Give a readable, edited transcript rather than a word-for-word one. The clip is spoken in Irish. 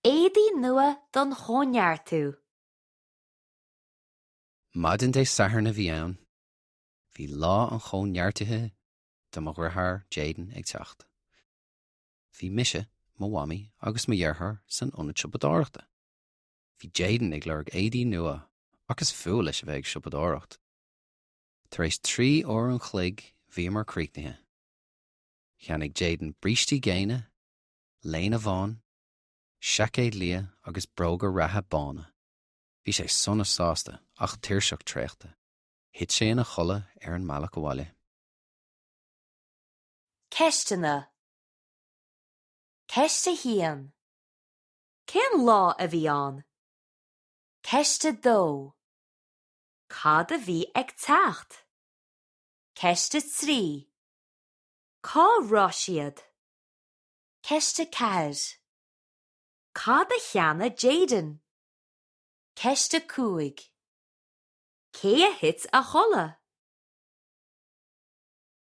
Éadaí nua don Chóineartú. Maidin Dé Sathairn a bhí ann. Bhí lá an chóineartaithe do mo dheartháir Jayden ag teacht. Bhí mise, mo mhamaí agus mo dheartháir san ionad siopadóireachta. Bhí Jayden ag lorg éadaí nua ach is fuath leis a bheith ag siopadóireacht. Tar éis 3 uair an chloig bhíomar críochnaithe. Cheannaigh Jayden brístí géine, léine bhán, seaicéad liath agus bróga reatha bána. Bhí sé sona sásta ach tuirseach traochta. Thit sé ina chodladh ar an mbealach abhaile. Ceisteanna Ceist 1. Cén lá a bhí ann? Ceist 2. Cad a bhí ag teacht? Ceist 3. Cá raibh siad? Ceist 4. Cad a cheannaigh Jayden? Ceist 5. Cé a thit a chodladh?